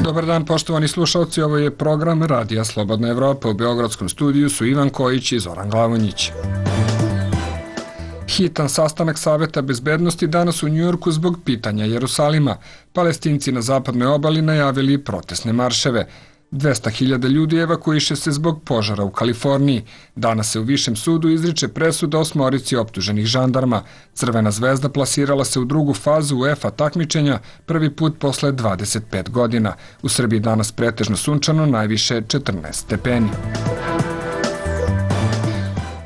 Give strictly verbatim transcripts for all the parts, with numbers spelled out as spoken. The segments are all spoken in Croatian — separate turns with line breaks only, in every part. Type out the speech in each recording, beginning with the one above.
Dobar dan, poštovani slušalci, ovo je program Radija Slobodna Evropa. U Beogradskom studiju su Ivan Kojić i Zoran Glavonjić. Hitan sastanak Saveta bezbednosti danas u Njujorku zbog pitanja Jerusalima. Palestinci na zapadnoj obali najavili protestne marševe. dvesta hiljada ljudi evakuiše se zbog požara u Kaliforniji. Danas se u Višem sudu izriče presuda osmorici optuženih žandarma. Crvena zvezda plasirala se u drugu fazu UEFA takmičenja prvi put posle dvadeset pet godina. U Srbiji danas pretežno sunčano, najviše četrnaest stepeni.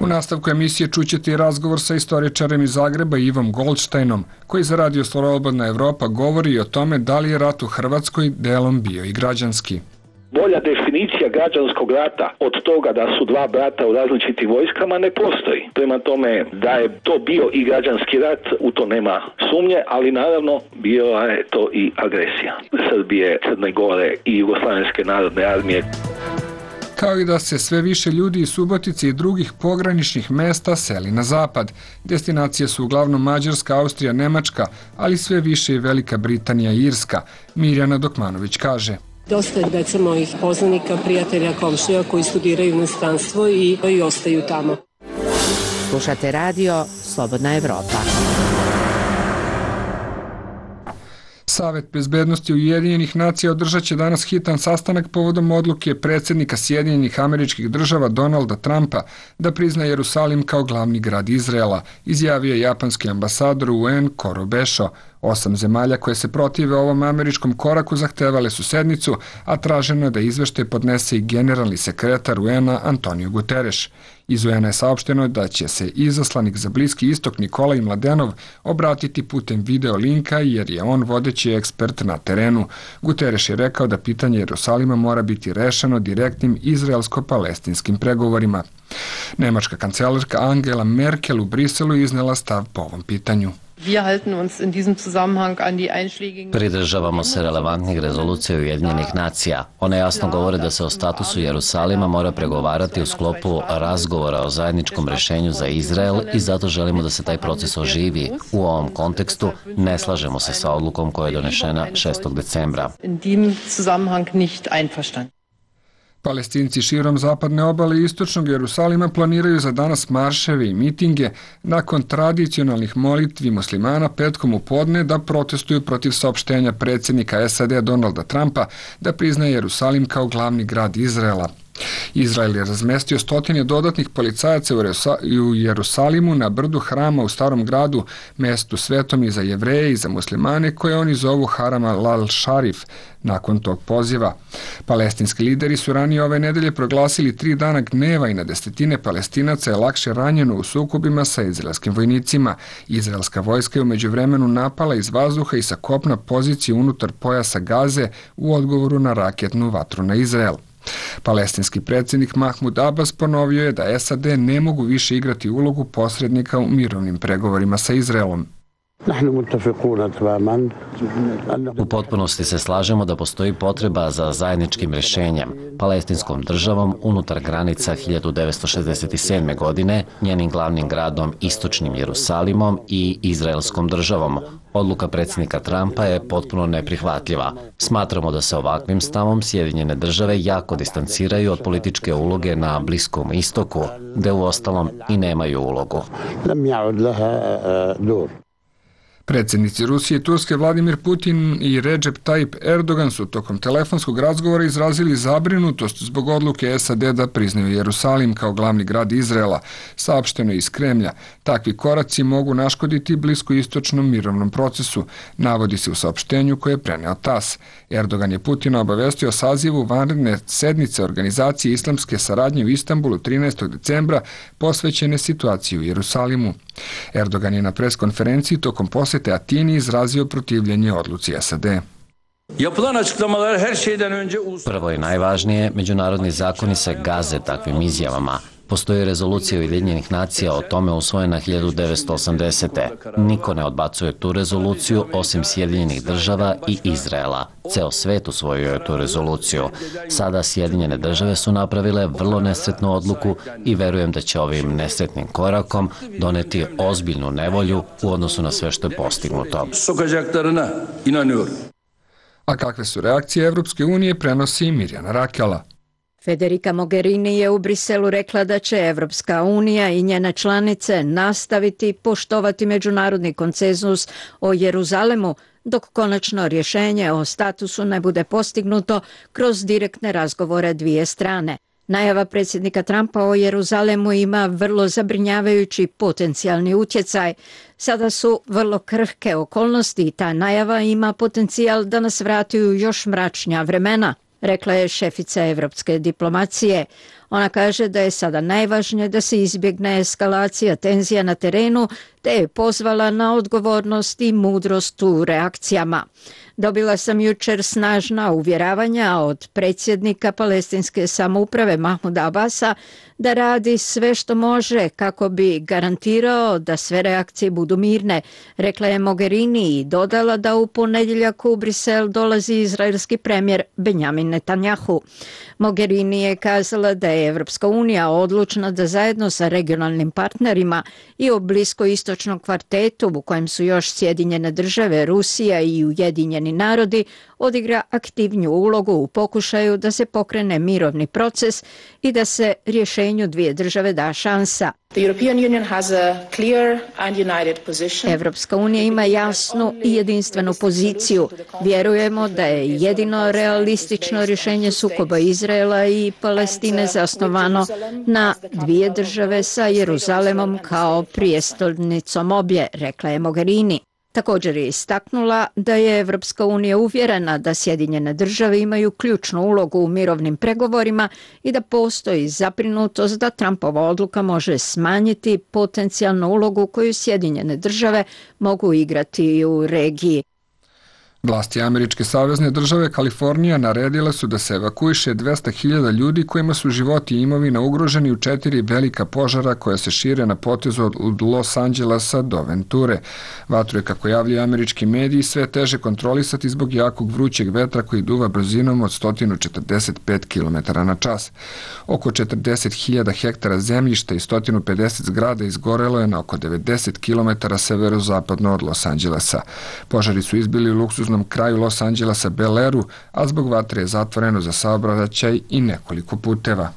U nastavku emisije čućete i razgovor sa istoričarem iz Zagreba Ivom Goldsteinom, koji za Radio Slobodna Evropa govori o tome da li je rat u Hrvatskoj delom bio i građanski.
Bolja definicija građanskog rata od toga da su dva brata u različitim vojskama ne postoji. Prema tome da je to bio i građanski rat, u to nema sumnje, ali naravno bila je to i agresija Srbije, Crne Gore i Jugoslavenske narodne armije.
Kao i da se sve više ljudi iz Subotice i drugih pograničnih mesta seli na zapad. Destinacije su uglavnom Mađarska, Austrija, Nemačka, ali sve više i Velika Britanija i Irska. Mirjana Dokmanović kaže:
Dosta je deca mojih poznanika, prijatelja, komšija koji studiraju u inostranstvo i, i ostaju tamo.
Slušate radio Slobodna Evropa.
Savet bezbednosti Ujedinjenih nacija održat će danas hitan sastanak povodom odluke predsjednika Sjedinjenih Američkih Država Donalda Trumpa da prizna Jerusalim kao glavni grad Izraela, izjavio je japanski ambasador u U N Koro Bešo. Osam zemalja koje se protive ovom američkom koraku zahtevale su sednicu, a traženo je da izveštaj podnese i generalni sekretar U N-a Antonio Guterres. Iz U N-a je saopšteno da će se izaslanik za Bliski istok Nikolaj Mladenov obratiti putem video linka jer je on vodeći ekspert na terenu. Guterres je rekao da pitanje Jerusalima mora biti rešeno direktnim izraelsko-palestinskim pregovorima. Nemačka kancelarka Angela Merkel u Briselu iznela stav po ovom pitanju.
Pridržavamo se relevantnih rezolucija Ujedinjenih nacija. One jasno govore da se o statusu Jerusalima mora pregovarati u sklopu razgovora o zajedničkom rešenju za Izrael i zato želimo da se taj proces oživi. U ovom kontekstu ne slažemo se sa odlukom koja je donešena šestog decembra.
Palestinci širom zapadne obale i istočnog Jerusalima planiraju za danas marševe i mitinge nakon tradicionalnih molitvi muslimana petkom u podne da protestuju protiv saopštenja predsjednika S A D Donalda Trumpa da priznaje Jerusalim kao glavni grad Izraela. Izrael je razmestio stotine dodatnih policajaca u Jerusalimu na brdu Hrama u Starom gradu, mestu svetom i za Jevreje i za muslimane koje oni zovu Haram al-Sharif. Nakon tog poziva, palestinski lideri su ranije ove nedelje proglasili tri dana gneva i na desetine Palestinaca je lakše ranjeno u sukobima sa izraelskim vojnicima. Izraelska vojska je u međuvremenu napala iz vazduha i sa kopna pozicije unutar pojasa Gaze u odgovoru na raketnu vatru na Izrael. Palestinski predsjednik Mahmud Abbas ponovio je da S A D ne mogu više igrati ulogu posrednika u mirovnim pregovorima sa Izraelom.
U potpunosti se slažemo da postoji potreba za zajedničkim rješenjem, palestinskom državom unutar granica hiljadu devetsto šezdeset sedme. godine, njenim glavnim gradom istočnim Jerusalimom i izraelskom državom. Odluka predsjednika Trumpa je potpuno neprihvatljiva. Smatramo da se ovakvim stavom Sjedinjene države jako distanciraju od političke uloge na Bliskom istoku, gde uostalom i nemaju ulogu.
Predsjednici Rusije i Turske Vladimir Putin i Recep Tayyip Erdogan su tokom telefonskog razgovora izrazili zabrinutost zbog odluke S A D da priznaju Jerusalim kao glavni grad Izraela, saopšteno iz Kremlja. Takvi koraci mogu naškoditi bliskoistočnom mirovnom procesu, navodi se u saopštenju koje je preneo TAS. Erdogan je Putina obavestio o sazivu vanredne sednice Organizacije islamske saradnje u Istanbulu trinaestog decembra posvećene situaciji u Jerusalimu. Erdogan je na preskonferenciji tokom posete Atini izrazio protivljenje odluci S A D.
Prvo i najvažnije, međunarodni zakoni se gaze takvim izjavama. Postoji rezolucija Ujedinjenih nacija o tome usvojena hiljadu devetsto osamdesete. Niko ne odbacuje tu rezoluciju osim Sjedinjenih država i Izraela. Ceo svet usvojio je tu rezoluciju. Sada Sjedinjene države su napravile vrlo nesretnu odluku i verujem da će ovim nesretnim korakom doneti ozbiljnu nevolju u odnosu na sve što je postignuto.
A kakve su reakcije Evropske unije, prenosi Mirjana Rakela.
Federica Mogherini je u Briselu rekla da će Evropska unija i njene članice nastaviti poštovati međunarodni konsenzus o Jeruzalemu dok konačno rješenje o statusu ne bude postignuto kroz direktne razgovore dvije strane. Najava predsjednika Trumpa o Jeruzalemu ima vrlo zabrinjavajući potencijalni utjecaj. Sada su vrlo krhke okolnosti i ta najava ima potencijal da nas vrati u još mračnija vremena, rekla je šefica evropske diplomacije. Ona kaže da je sada najvažnije da se izbjegne eskalacija tenzija na terenu, te je pozvala na odgovornost i mudrost u reakcijama. Dobila sam jučer snažna uvjeravanja od predsjednika palestinske samouprave Mahmuda Abasa da radi sve što može kako bi garantirao da sve reakcije budu mirne, rekla je Mogherini i dodala da u ponedjeljak u Brisel dolazi izraelski premijer Benjamin Netanjahu. Mogherini je kazala da je Evropska unija odlučna da zajedno sa regionalnim partnerima i u bliskoistočnom kvartetu u kojem su još Sjedinjene države, Rusija i Ujedinjeni narodi odigra aktivniju ulogu u pokušaju da se pokrene mirovni proces i da se rješenju dvije države da šansa. Evropska unija ima jasnu i jedinstvenu poziciju. Vjerujemo da je jedino realistično rješenje sukoba Izraela i Palestine zasnovano na dvije države sa Jeruzalemom kao prijestolnicom obje, rekla je Mogherini. Također je istaknula da je Evropska unija uvjerena da Sjedinjene države imaju ključnu ulogu u mirovnim pregovorima i da postoji zabrinutost da Trumpova odluka može smanjiti potencijalnu ulogu koju Sjedinjene države mogu igrati u regiji.
Vlasti američke savezne države Kalifornija naredile su da se evakuiše dvesta hiljada ljudi kojima su životi i imovina ugroženi u četiri velika požara koja se šire na potezu od Los Angelesa do Venture. Vatru je, kako javljaju američki mediji, sve teže kontrolisati zbog jakog vrućeg vetra koji duva brzinom od sto četrdeset pet kilometara na čas. Oko četrdeset hiljada hektara zemljišta i sto pedeset zgrada izgorelo je na oko devedeset kilometara severozapadno od Los Angelesa. Požari su izbili u luksuznom kraju Los Angelesa Bel Airu, a zbog vatre je zatvoreno za saobraćaj i nekoliko puteva.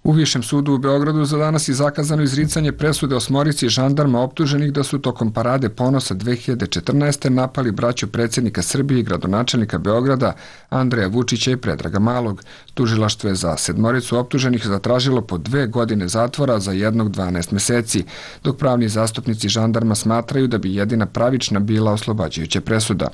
U Višem sudu u Beogradu za danas je zakazano izricanje presude osmorici žandarma optuženih da su tokom parade ponosa dve hiljade četrnaeste. napali braću predsjednika Srbije i gradonačelnika Beograda Andreja Vučića i Predraga Malog. Tužilaštvo je za sedmoricu optuženih zatražilo po dve godine zatvora za jednog dvanaest meseci, dok pravni zastupnici žandarma smatraju da bi jedina pravična bila oslobađajuća presuda.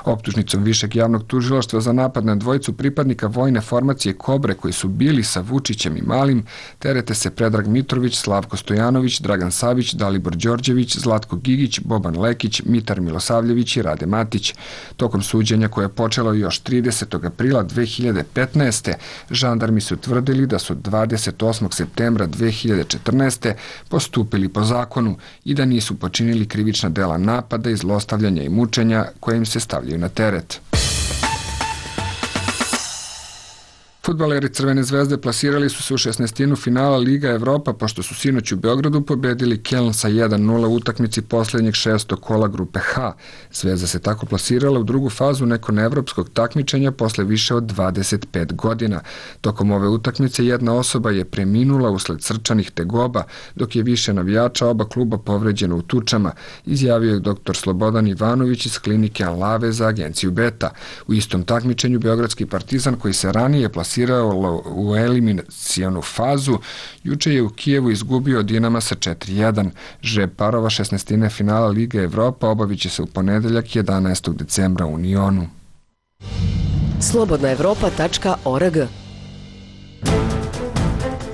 Optužnicom Višeg javnog tužilaštva za napad na dvojicu pripadnika vojne formacije Kobre koji su bili sa Vučićem i Malim terete se Predrag Mitrović, Slavko Stojanović, Dragan Savić, Dalibor Đorđević, Zlatko Gigić, Boban Lekić, Mitar Milosavljević i Rade Matić. Tokom suđenja koje je počelo još tridesetog aprila dve hiljade petnaeste. žandarmi su tvrdili da su dvadeset osmog septembra dve hiljade četrnaeste. postupili po zakonu i da nisu počinili krivična dela napada i zlostavljanja i mučenja koje im se stavljaju na teret. Fudbaleri Crvene zvezde plasirali su se u šesnaestinu finala Liga Evropa pošto su sinoć u Beogradu pobedili Keln sa jedan nula u utakmici posljednjeg šestog kola grupe H. Zvezda se tako plasirala u drugu fazu nekon evropskog takmičenja posle više od dvadeset pet godina. Tokom ove utakmice jedna osoba je preminula usled srčanih tegoba, dok je više navijača oba kluba povređeno u tučama, izjavio je doktor Slobodan Ivanović iz klinike Anlave za agenciju Beta. U istom takmičenju Beogradski Partizan, koji se ranije plasirao u eliminacijonu fazu, juče je u Kijevu izgubio od Dinama sa četiri jedan. Žreb parova šesnaestine finala Lige Evropa obavit će se u ponedeljak jedanaestog decembra u Unionu.
slobodna evropa tačka org.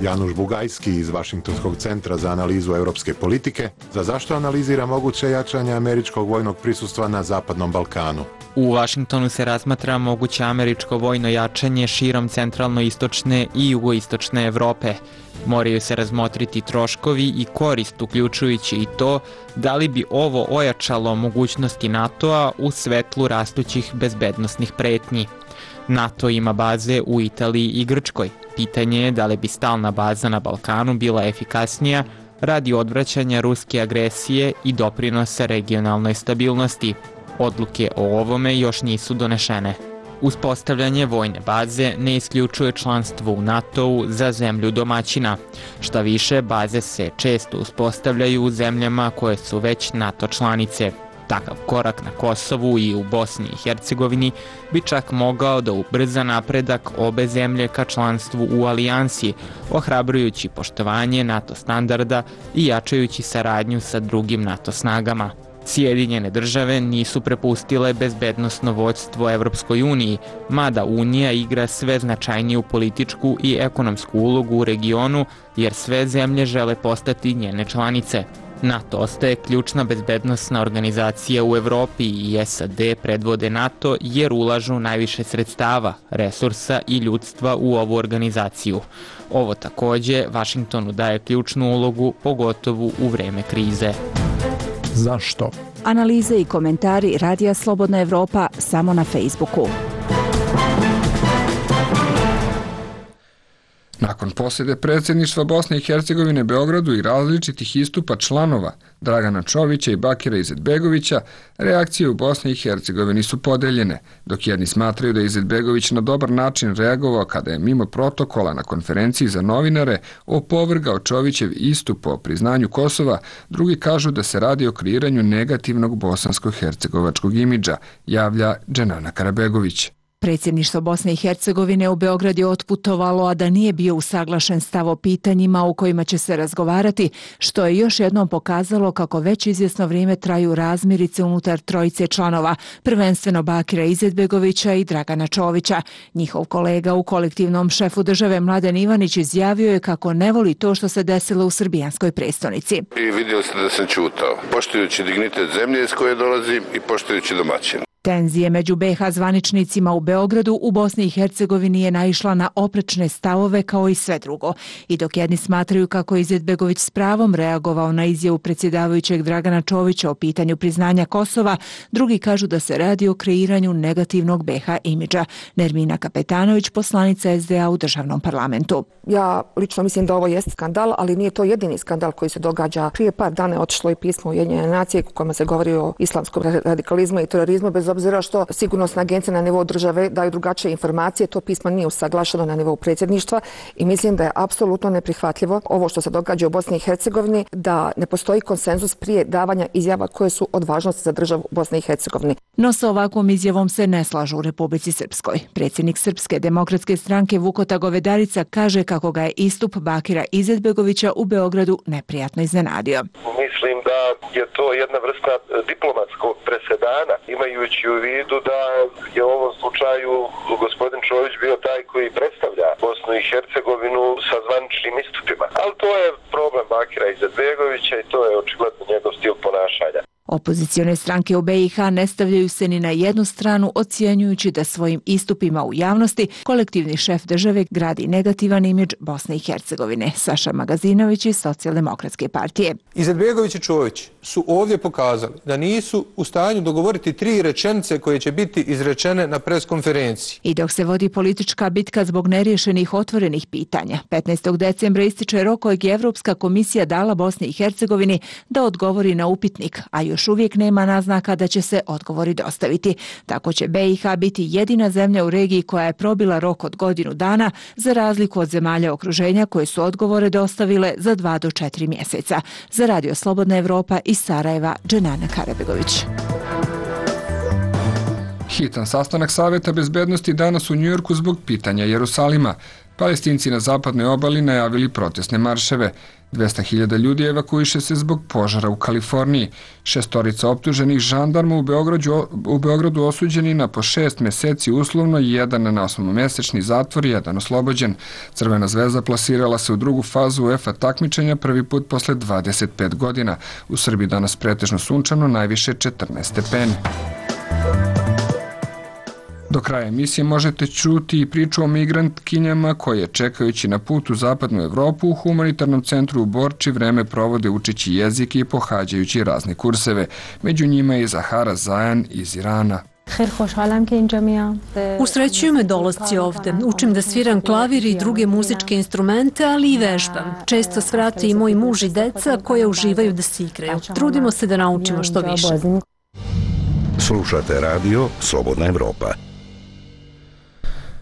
Januš Bugajski iz Vašingtonskog centra za analizu evropske politike, za zašto analizira moguće jačanje američkog vojnog prisustva na Zapadnom Balkanu.
U Vašingtonu se razmatra moguće američko vojno jačanje širom centralno-istočne i jugoistočne Evrope. Moraju se razmotriti troškovi i korist, uključujući i to da li bi ovo ojačalo mogućnosti NATO-a u svetlu rastućih bezbednosnih pretnji. NATO ima baze u Italiji i Grčkoj. Pitanje je da li bi stalna baza na Balkanu bila efikasnija radi odvraćanja ruske agresije i doprinosa regionalnoj stabilnosti. Odluke o ovome još nisu donešene. Uspostavljanje vojne baze ne isključuje članstvo u NATO-u za zemlju domaćina. Šta više, baze se često uspostavljaju u zemljama koje su već NATO članice. Takav korak na Kosovu i u Bosni i Hercegovini bi čak mogao da ubrza napredak obe zemlje ka članstvu u alijansi, ohrabrujući poštovanje NATO standarda i jačajući saradnju sa drugim NATO snagama. Sjedinjene države nisu prepustile bezbednosno vođstvo Evropskoj uniji, mada Unija igra sve značajniju političku i ekonomsku ulogu u regionu, jer sve zemlje žele postati njene članice. NATO ostaje ključna bezbednosna organizacija u Evropi i S A D predvode NATO jer ulažu najviše sredstava, resursa i ljudstva u ovu organizaciju. Ovo takođe Vašingtonu daje ključnu ulogu, pogotovo u vreme krize.
Zašto?
Analize i komentari Radija Slobodna Evropa samo na Facebooku.
Nakon posjede predsjedništva Bosne i Hercegovine Beogradu i različitih istupa članova Dragana Čovića i Bakira Izetbegovića, reakcije u Bosni i Hercegovini su podeljene, dok jedni smatraju da je Izetbegović na dobar način reagovao kada je mimo protokola na konferenciji za novinare opovrgao Čovićev istup o priznanju Kosova, drugi kažu da se radi o kreiranju negativnog bosansko-hercegovačkog imidža, javlja Dženana Karabegović.
Predsjedništvo Bosne i Hercegovine u Beograd je otputovalo, a da nije bio usaglašen stav o pitanjima u kojima će se razgovarati, što je još jednom pokazalo kako već izvjesno vrijeme traju razmirice unutar trojice članova, prvenstveno Bakira Izetbegovića i Dragana Čovića. Njihov kolega u kolektivnom šefu države Mladen Ivanić izjavio je kako ne voli to što se desilo u srbijanskoj prestonici.
I vidio ste da sam ćutao, poštujući dignitet zemlje iz koje dolazim i poštujući domaćin.
Tenzije među B iH zvaničnicima u Beogradu u Bosni i Hercegovini je naišla na oprečne stavove kao i sve drugo. I dok jedni smatraju kako je Izetbegović s pravom reagovao na izjavu predsjedavajućeg Dragana Čovića o pitanju priznanja Kosova, drugi kažu da se radi o kreiranju negativnog B iH imidža. Nermina Kapetanović, poslanica S D A u državnom parlamentu.
Ja lično mislim da ovo jeste skandal, ali nije to jedini skandal koji se događa. Prije par dana je otišlo i pismo Ujedinjene nacije u kojima se govori o islamskom radikalizmu i terorizmu, bez obzira što sigurnosne agencije na nivou države daju drugačije informacije, to pismo nije usaglašeno na nivou predsjedništva i mislim da je apsolutno neprihvatljivo ovo što se događa u Bosni i Hercegovini, da ne postoji konsenzus prije davanja izjava koje su od važnosti za državu Bosne i Hercegovine.
No sa ovakvom izjavom se ne slažu u Republici Srpskoj. Predsjednik Srpske demokratske stranke Vukota Govedarica kaže kako ga je istup Bakira Izetbegovića u Beogradu neprijatno iznenadio.
Mislim da je to jedna vrsta diplomatskog presedana, imajući u vidu da je u ovom slučaju gospodin Čović bio taj koji predstavlja Bosnu i Hercegovinu sa zvaničnim istupima. Ali to je problem Bakira Izetbegovića i to je očigledno njegov stil ponašanja.
Opozicione stranke u B iH ne stavljaju se ni na jednu stranu, ocjenjujući da svojim istupima u javnosti kolektivni šef države gradi negativan imidž Bosne i Hercegovine. Saša Magazinović iz Socijaldemokratske partije.
Izetbegović i Čović su ovdje pokazali da nisu u stanju dogovoriti tri rečenice koje će biti izrečene na preskonferenciji.
I dok se vodi politička bitka zbog neriješenih otvorenih pitanja, petnaestog decembra ističe rok kojeg je Evropska komisija dala Bosni i Hercegovini da odgovori na upitnik, a još Još uvijek nema naznaka da će se odgovori dostaviti. Tako će B iH biti jedina zemlja u regiji koja je probila rok od godinu dana, za razliku od zemalja okruženja koje su odgovore dostavile za dva do četiri mjeseca. Za Radio Slobodna Evropa iz Sarajeva, Dženana Karabegović.
Hitan sastanak Saveta bezbednosti danas u Njujorku zbog pitanja Jerusalima. Palestinci na zapadnoj obali najavili protestne marševe. dvesta hiljada ljudi evakuiše se zbog požara u Kaliforniji. Šestorica optuženih žandarma u Beogradu, u Beogradu osuđeni na po šest mjeseci uslovno, jedan na osmomjesečni zatvor, jedan oslobođen. Crvena zvezda plasirala se u drugu fazu UEFA takmičenja prvi put posle dvadeset pet godina. U Srbiji danas pretežno sunčano, najviše četrnaest stepeni. Do kraja emisije možete čuti i priču o migrantkinjama koje, čekajući na put u zapadnu Evropu, u humanitarnom centru u Borči vreme provode učeći jezik i pohađajući razne kurseve. Među njima je Zahara Zajan iz Irana.
Usrećuju me dolasci ovde. Učim da sviram klavir i druge muzičke instrumente, ali i vežbam. Često svrate i moj muž i deca koje uživaju da se igraju. Trudimo se da naučimo što više.
Slušate radio Slobodna Evropa.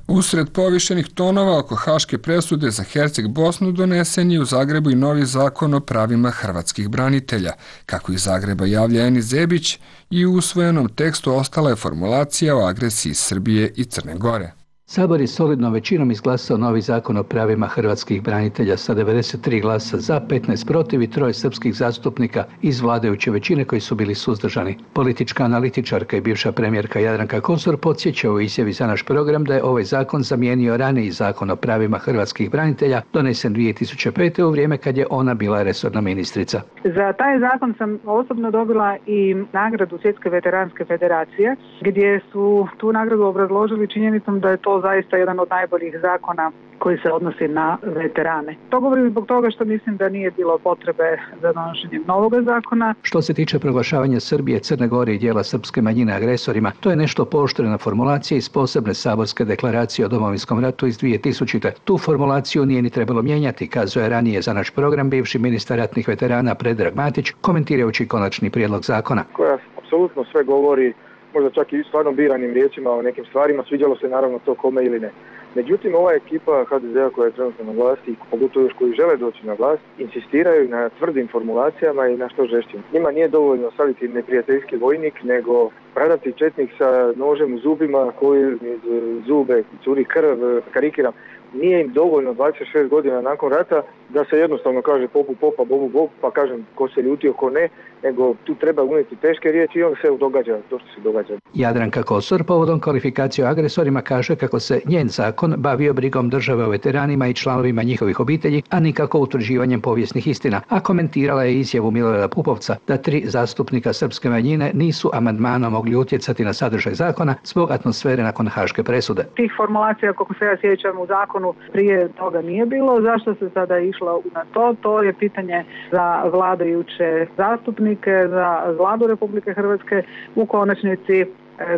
Usred povišenih tonova oko haške presude za Herceg Bosnu donesen je u Zagrebu i novi zakon o pravima hrvatskih branitelja. Kako iz Zagreba javlja Enis Zebić, i u usvojenom tekstu ostala je formulacija o agresiji Srbije i Crne Gore.
Sabor je solidnom većinom izglasao novi zakon o pravima hrvatskih branitelja sa devedeset tri glasa za, petnaest protiv i troje srpskih zastupnika iz vladajuće većine koji su bili suzdržani. Politička analitičarka i bivša premijerka Jadranka Kosor podsjeća u izjavi za naš program da je ovaj zakon zamijenio raniji zakon o pravima hrvatskih branitelja donesen dvije tisuće pete. u vrijeme kad je ona bila resorna ministrica.
Za taj zakon sam osobno dobila i nagradu Svjetske veteranske federacije, gdje su tu nagradu obrazložili činjenicom da je to zaista jedan od najboljih zakona koji se odnosi na veterane. To govorim zbog toga što mislim da nije bilo potrebe za donošenjem novog zakona.
Što se tiče proglašavanja Srbije, Crne Gore i dijela srpske manjine agresorima, to je nešto pooštrena formulacija iz posebne saborske deklaracije o Domovinskom ratu iz dvije tisućite. Tu formulaciju nije ni trebalo mijenjati, kazuje ranije za naš program bivši ministar ratnih veterana Predrag Matić, komentirajući konačni prijedlog zakona.
Koja apsolutno sve govori, možda čak i stvarno biranim riječima o nekim stvarima, sviđalo se naravno to kome ili ne. Međutim, ova ekipa ha de zea koja je trenutno na vlasti, pogotovo još koji žele doći na vlast, insistiraju na tvrdim formulacijama i na što žešćim. Njima nije dovoljno staviti neprijateljski vojnik, nego pradati četnik sa nožem u zubima koji iz zube curi krv, karikiram. Nije im dovoljno dvadeset šest godina nakon rata da se jednostavno kaže popu popa, bobu bob, pa kažem ko se ljutio, ko ne, nego tu treba unijeti teške riječi i onda se događa to što se događa.
Jadranka Kosor povodom kvalifikacije o agresorima kaže kako se njen zakon bavio brigom države o veteranima i članovima njihovih obitelji, a nikako utvrđivanjem povijesnih istina, a komentirala je izjavu Milorada Pupovca da tri zastupnika srpske manjine nisu amandmanom mogli utjecati na sadržaj zakona zbog atmosfere nakon haške presude.
Tih formulacija, kako se ja sjećam, u zakonu prije toga nije bilo. Zašto se sada išlo na to? To je pitanje za vladajuće zastupnike, za Vladu Republike Hrvatske. U konačnici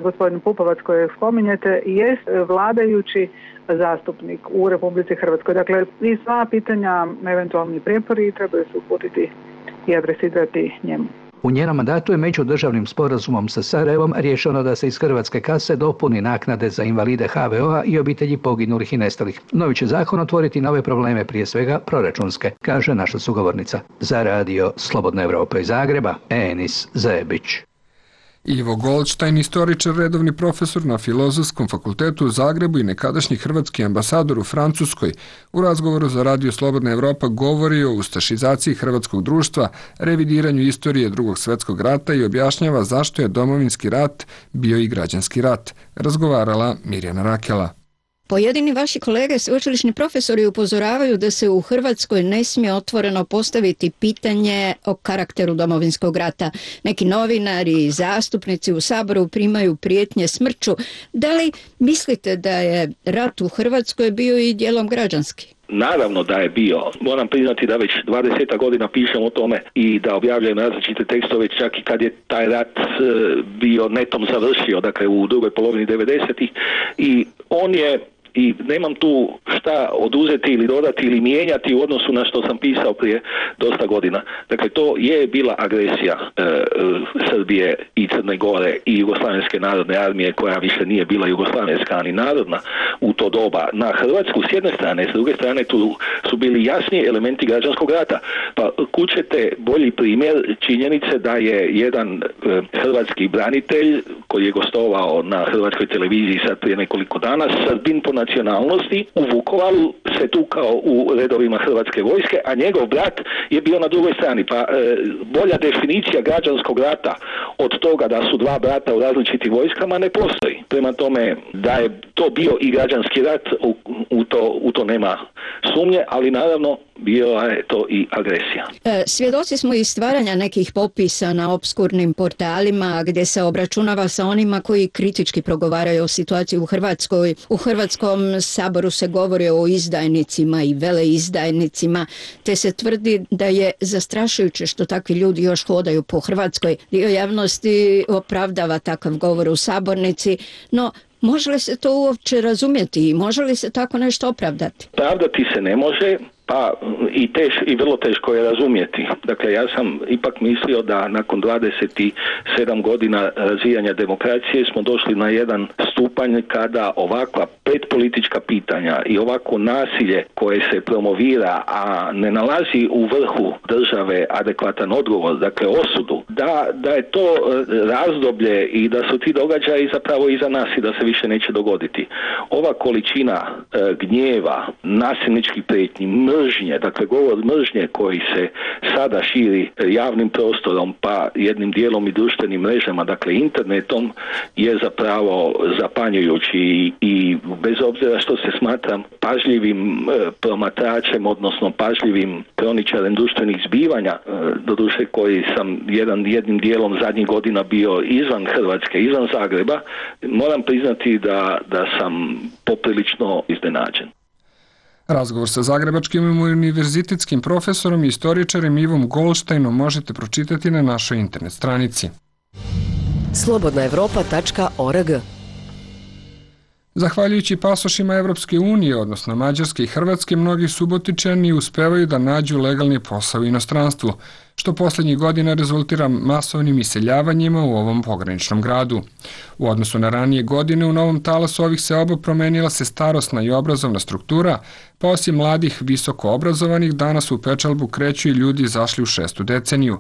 gospodin Pupovac koji spominjete jest vladajući zastupnik u Republici Hrvatskoj. Dakle, i sva pitanja, eventualni prijepori trebaju se uputiti i adresirati njemu.
U njenom mandatu je međudržavnim sporazumom sa Sarajevom rješeno da se iz hrvatske kase dopuni naknade za invalide ha ve o-a i obitelji poginulih i nestalih. Novi će zakon otvoriti nove probleme, prije svega proračunske, kaže naša sugovornica. Za radio Slobodna Evropa iz Zagreba, Enis Zebić.
Ivo Goldstein, istoričar, redovni profesor na Filozofskom fakultetu u Zagrebu i nekadašnji hrvatski ambasador u Francuskoj, u razgovoru za radio Slobodna Evropa govori o ustašizaciji hrvatskog društva, revidiranju istorije Drugog svjetskog rata i objašnjava zašto je Domovinski rat bio i građanski rat. Razgovarala Mirjana Rakela.
Pojedini vaši kolege sveučilišni profesori upozoravaju da se u Hrvatskoj ne smije otvoreno postaviti pitanje o karakteru Domovinskog rata. Neki novinari i zastupnici u Saboru primaju prijetnje smrću. Da li mislite da je rat u Hrvatskoj bio i dijelom građanski?
Naravno da je bio. Moram priznati da već dvadeset godina pišem o tome i da objavljujem različite tekstove, čak i kad je taj rat bio netom završio, dakle u drugoj polovini devedesetih, i on je, i nemam tu šta oduzeti ili dodati ili mijenjati u odnosu na što sam pisao prije dosta godina. Dakle, to je bila agresija e, Srbije i Crne Gore i Jugoslavenske narodne armije, koja više nije bila jugoslavenska ni narodna u to doba, na Hrvatsku s jedne strane, s druge strane tu su bili jasni elementi građanskog rata. Pa kućete bolji primjer činjenice da je jedan e, hrvatski branitelj koji je gostovao na hrvatskoj televiziji sad prije nekoliko dana, Srbin po nacionalnosti, u Vukovaru se tukao u redovima hrvatske vojske, a njegov brat je bio na drugoj strani. Pa e, bolja definicija građanskog rata od toga da su dva brata u različitim vojskama ne postoji. Prema tome, da je to bio i građanski rat, u, u, to, u to nema sumnje, ali naravno bila je to i agresija.
E, svjedoci smo i stvaranja nekih popisa na obskurnim portalima gdje se obračunava sa onima koji kritički progovaraju o situaciji u Hrvatskoj. U Hrvatskom saboru se govori o izdajnicima i veleizdajnicima, te se tvrdi da je zastrašujuće što takvi ljudi još hodaju po Hrvatskoj. Dio javnosti opravdava takav govor u sabornici, no može li se to uopće razumjeti i može li se tako nešto opravdati?
Pravdati se ne može, pa i, teš, i vrlo teško je razumjeti. Dakle, ja sam ipak mislio da nakon dvadeset sedam godina razvijanja demokracije smo došli na jedan stupanj kada ovakva predpolitička pitanja i ovako nasilje koje se promovira, a ne nalazi u vrhu države adekvatan odgovor, dakle osudu, da, da je to razdoblje i da su ti događaji zapravo iza nas i da se više neće dogoditi. Ova količina e, gnjeva, nasilničkih prijetnji, mržnje, dakle govor mržnje koji se sada širi javnim prostorom, pa jednim dijelom i društvenim mrežama, dakle internetom, je zapravo zapanjujući i, i bez obzira što se smatram pažljivim e, promatračem, odnosno pažljivim kroničarem društvenih zbivanja, e, doduše koji sam jedan, jednim dijelom zadnjih godina bio izvan Hrvatske, izvan Zagreba, moram priznati da, da sam poprilično iznenađen.
Razgovor sa zagrebačkim univerzitetskim profesorom i istoričarem Ivom Goldsteinom možete pročitati na našoj internet stranici.
slobodna evropa tačka org.
Zahvaljujući pasošima Evropske unije, odnosno Mađarske i Hrvatske, mnogi Subotičani uspevaju da nađu legalni posao u inostranstvu, što posljednjih godina rezultira masovnim iseljavanjima u ovom pograničnom gradu. U odnosu na ranije godine u novom talasu ovih seoba promenila se starosna i obrazovna struktura, pa osim mladih visoko obrazovanih danas u pečalbu kreću i ljudi izašli u šestu deceniju,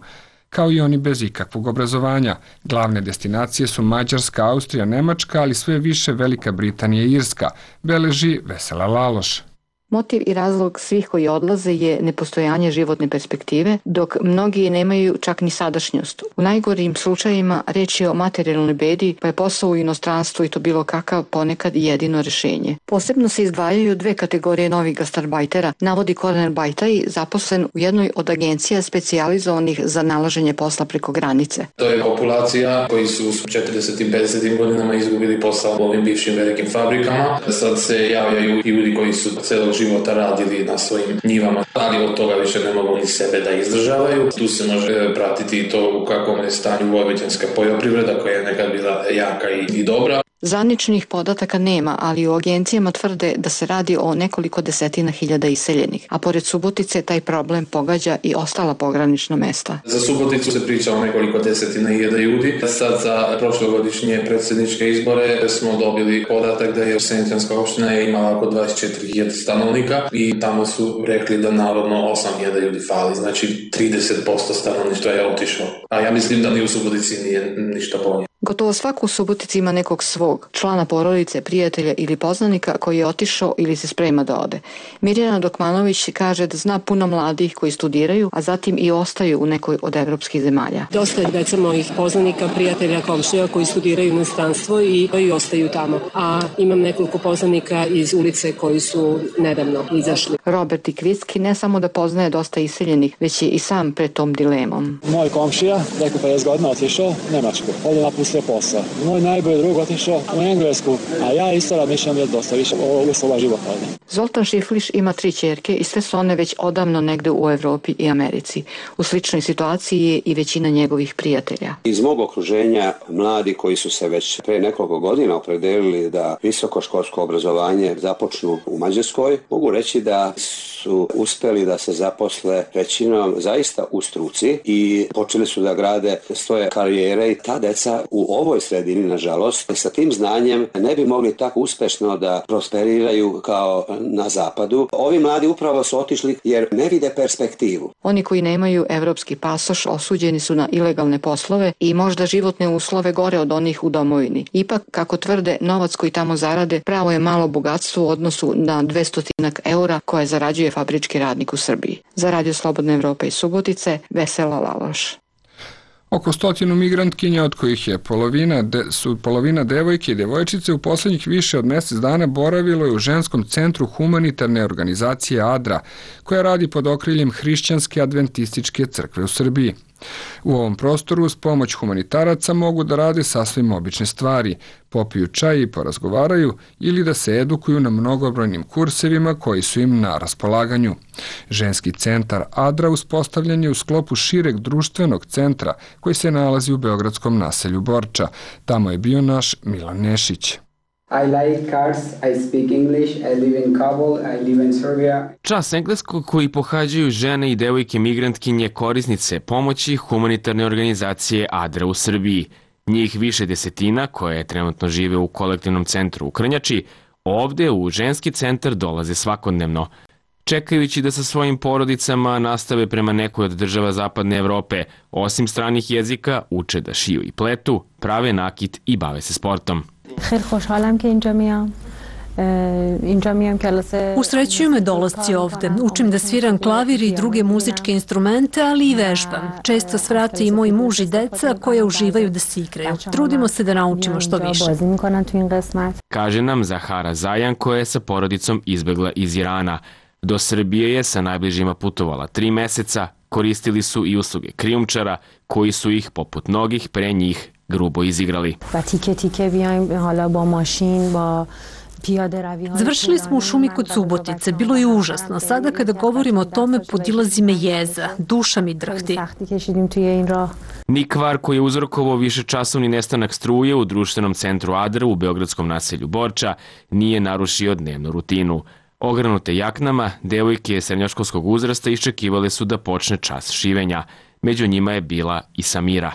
kao i oni bez ikakvog obrazovanja. Glavne destinacije su Mađarska, Austrija, Nemačka, ali sve više Velika Britanija i Irska, beleži Vesela Laloš.
Motiv i razlog svih koji odlaze je nepostojanje životne perspektive, dok mnogi nemaju čak ni sadašnjost. U najgorim slučajima reč je o materijalnoj bedi, pa je posao u inostranstvu i to bilo kakav ponekad jedino rješenje. Posebno se izdvajaju dve kategorije novih gastarbajtera, navodi Kornel Bajtaj, zaposlen u jednoj od agencija specijalizovanih za nalaženje posla preko granice.
To je populacija koji su u četrdesetim i pedesetim godinama izgubili posao u ovim bivšim velikim fabrikama. Sad se javljaju ljudi koji su celog života radili na svojim njivama, ali od toga više ne mogu ni sebe da izdržavaju. Tu se može pratiti to u kakvom je stanju vojvođanska poljoprivreda koja je nekad bila jaka i, i dobra.
Zvaničnih podataka nema, ali u agencijama tvrde da se radi o nekoliko desetina hiljada iseljenih, a pored Subotice taj problem pogađa i ostala pogranična mesta.
Za Suboticu se priča o nekoliko desetina hiljada ljudi. Sad za prošlogodišnje predsjedničke izbore smo dobili podatak da je Seničanska opština je imala oko dvadeset četiri hiljade stanovnika i tamo su rekli da navodno osam hiljada ljudi fali, znači trideset posto stanovništva je otišlo. A ja mislim da ni u Subotici nije ništa bolje.
Gotovo svako u Subotici ima nekog svog, člana porodice, prijatelja ili poznanika koji je otišao ili se sprema da ode. Mirjana Dokmanović kaže da zna puno mladih koji studiraju, a zatim i ostaju u nekoj od evropskih zemalja.
Dosta je deca mojih poznanika, prijatelja, komšija koji studiraju u inostranstvo i, i ostaju tamo. A imam nekoliko poznanika iz ulice koji su nedavno izašli.
Robert Ikvitski ne samo da poznaje dosta iseljenih, već je i sam pred tom dilemom.
Moj komšija, neko pedeset godina otišao u Nemačku, ovdje napustio posao. Moj najbolji drug otišao u Englesku, a ja isto razmišljam je dosta više o uslova života ovdje.
Zoltan Šifliš ima tri ćerke i sve su one već odavno negde u Evropi i Americi. U sličnoj situaciji je i većina njegovih prijatelja.
Iz mog okruženja mladi koji su se već pre nekoliko godina opredelili da visokoškolsko obrazovanje započnu u Mađarskoj, mogu reći da su uspeli da se zaposle većinom zaista u struci i počeli su da grade svoje karijere i ta deca u ovoj sredini, nažalost, sa tim znanjem ne bi mogli tako uspešno da prosperiraju kao na zapadu. Ovi mladi upravo su otišli jer ne vide perspektivu.
Oni koji nemaju evropski pasoš osuđeni su na ilegalne poslove i možda životne uslove gore od onih u domovini. Ipak, kako tvrde, novac koji tamo zarade pravo je malo bogatstvo u odnosu na dvesta eura koje zarađuje fabrički radnik u Srbiji. Za Radio Slobodna Evropa iz Subotice, Vesela Laloš.
Oko stotinu migrantkinja, od kojih je polovina, de, su polovina devojke i devojčice, u posljednjih više od mjesec dana boravilo je u ženskom centru humanitarne organizacije ADRA, koja radi pod okriljem Hrišćanske adventističke crkve u Srbiji. U ovom prostoru uz pomoć humanitaraca mogu da rade sasvim obične stvari, popiju čaj i porazgovaraju ili da se edukuju na mnogobrojnim kursevima koji su im na raspolaganju. Ženski centar ADRA uspostavljen je u sklopu šireg društvenog centra koji se nalazi u beogradskom naselju Borča. Tamo je bio naš Milan Nešić.
I like cars, I speak English, I live in Kabul, I live in Serbia.
Čas engleskog koji pohađaju žene i devojke migrantkinje korisnice pomoći humanitarne organizacije ADRA u Srbiji. Njih više desetina koje trenutno žive u kolektivnom centru u Krnjači, ovde u ženski centar dolaze svakodnevno. Čekajući da sa svojim porodicama nastave prema nekoj od država Zapadne Evrope, osim stranih jezika, uče da šiju i pletu, prave nakit i bave se sportom.
Usrećuju me dolasci ovde. Učim da sviram klavir i druge muzičke instrumente, ali i vežbam. Često svrate i moj muž i deca koje uživaju da se igraju. Trudimo se da naučimo što više.
Kaže nam Zahara Zajan koja je sa porodicom izbegla iz Irana. Do Srbije je sa najbližima putovala tri meseca, koristili su i usluge krijumčara koji su ih, poput mnogih pre njih, grubo izigrali.
Završili smo u šumi kod Subotice, bilo je užasno. Sada kada govorim o tome podilazi me jeza, duša mi drhti.
Ni kvar koji je uzrokovao višečasovni nestanak struje u društvenom centru ADRA u beogradskom naselju Borča nije narušio dnevnu rutinu. Ogranute jaknama, devojke srednjoškolskog uzrasta iščekivale su da počne čas šivenja. Među njima je bila i Samira.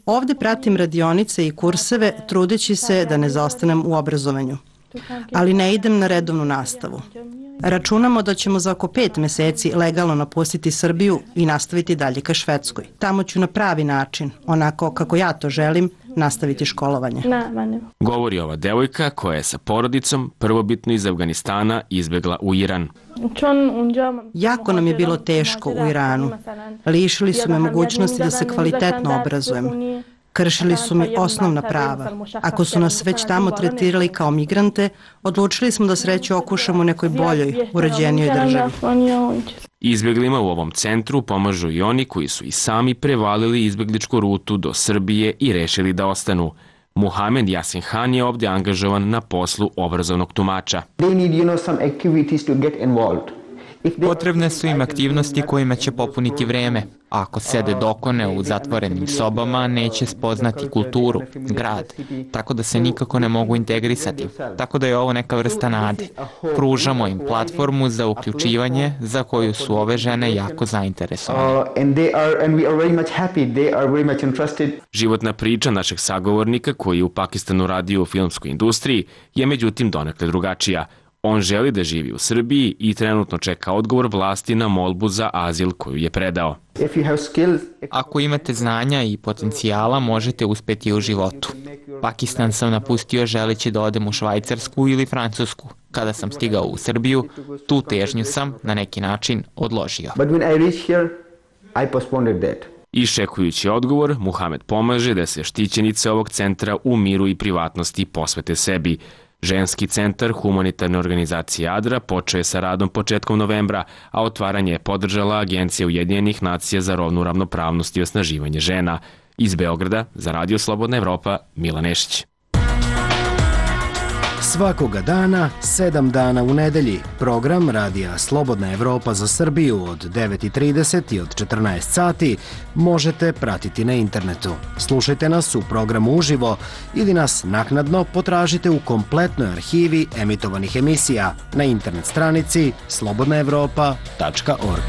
Ovde pratim radionice i kurseve, trudeći se da ne zaostanem u obrazovanju. Ali ne idem na redovnu nastavu. Računamo da ćemo za oko pet meseci legalno napustiti Srbiju i nastaviti dalje ka Švedskoj. Tamo ću na pravi način, onako kako ja to želim, nastaviti školovanje.
Govori ova devojka koja je sa porodicom prvobitno iz Afganistana izbegla u Iran.
Jako nam je bilo teško u Iranu. Lišili su me mogućnosti da se kvalitetno obrazujem. Kršili su mi osnovna prava. Ako su nas već tamo tretirali kao migrante, odlučili smo da sreću okušamo u nekoj boljoj, uređenijoj državi.
Izbjeglima u ovom centru pomažu i oni koji su i sami prevalili izbjegličku rutu do Srbije i rešili da ostanu. Muhamed Yasin Han je ovdje angažovan na poslu obrazovnog tumača.
Potrebne su im aktivnosti kojima će popuniti vreme. Ako sede dokone u zatvorenim sobama, neće spoznati kulturu, grad, tako da se nikako ne mogu integrisati. Tako da je ovo neka vrsta nade. Pružamo im platformu za uključivanje za koju su ove žene jako zainteresovane.
Životna priča našeg sagovornika koji je u Pakistanu radio u filmskoj industriji je međutim donekle drugačija. On želi da živi u Srbiji i trenutno čeka odgovor vlasti na molbu za azil koju je predao.
Ako imate znanja i potencijala, možete uspeti u životu. Pakistan sam napustio želeći da odem u Švajcarsku ili Francusku. Kada sam stigao u Srbiju, tu težnju sam na neki način odložio.
Iščekujući odgovor, Muhamed pomaže da se štićenice ovog centra u miru i privatnosti posvete sebi. Ženski centar humanitarne organizacije ADRA počeo je sa radom početkom novembra, a otvaranje je podržala Agencija Ujedinjenih nacija za rodnu ravnopravnost i osnaživanje žena. Iz Beograda, za Radio Slobodna Evropa, Milan Nešić.
Svakoga dana, sedam dana u nedelji, program Radija Slobodna Evropa za Srbiju od devet i trideset i od četrnaest sati možete pratiti na internetu. Slušajte nas u programu uživo ili nas naknadno potražite u kompletnoj arhivi emitovanih emisija na internet stranici slobodna evropa tačka org.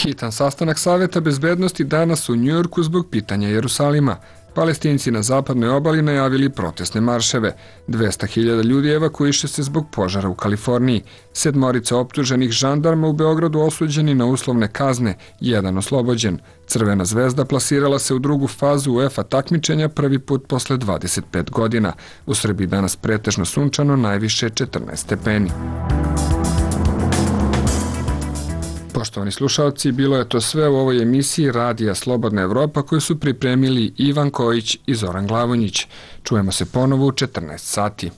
Hitan sastanak Saveta bezbednosti danas u Njujorku zbog pitanja Jerusalima. Palestinci na zapadnoj obali najavili protestne marševe. dvesta hiljada ljudi evakuiše se zbog požara u Kaliforniji. Sedmorica optuženih žandarma u Beogradu osuđeni na uslovne kazne, jedan oslobođen. Crvena zvezda plasirala se u drugu fazu UEFA takmičenja prvi put posle dvadeset pet godina. U Srbiji danas pretežno sunčano, najviše četrnaest stepeni. Poštovani slušalci, bilo je to sve u ovoj emisiji Radija Slobodna Evropa koju su pripremili Ivan Kojić i Zoran Glavonjić. Čujemo se ponovo u četrnaest sati.